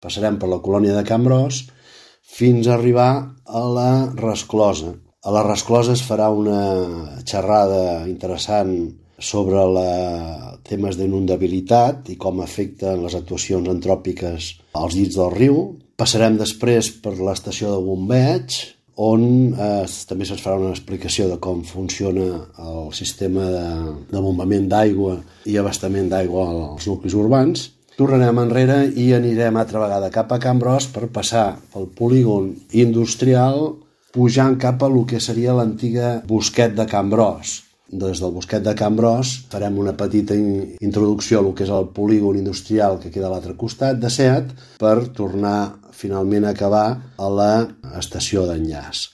passarem per la colònia de Can Bros fins a arribar a la Resclosa. A la Resclosa es farà una xerrada interessant sobre temes d'inundabilitat i com afecten les actuacions antròpiques als llits del riu. Passarem després per l'estació de bombeig, on també se'ns farà una explicació de com funciona el sistema de bombament d'aigua i abastament d'aigua als nuclis urbans. Tornarem enrere i anirem altra vegada cap a Can Bros per passar pel polígon industrial, pujant cap a lo que seria l'antiga Bosquet de Can Bros. Des del Bosquet de Can Bros farem una petita introducció a lo que és el polígon industrial que queda a l'altre costat de Seat per tornar finalment a acabar a l'estació d'enllaç.